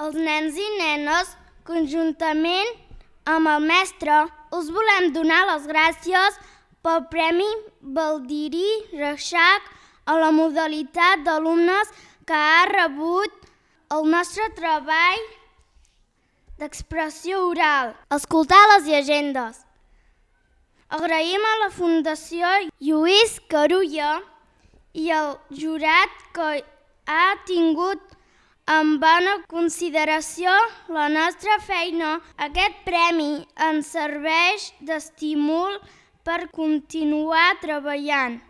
Els nens i nenes, conjuntament amb el mestre, us volem donar les gràcies pel Premi Baldirí Reixac a la modalitat d'alumnes que ha rebut el nostre treball d'expressió oral, escoltar les llegendes. Agraïm a la Fundació Lluís Carulla i al jurat que ha tingut en bona consideració la nostra feina. Aquest premi ens serveix d'estímul per continuar treballant.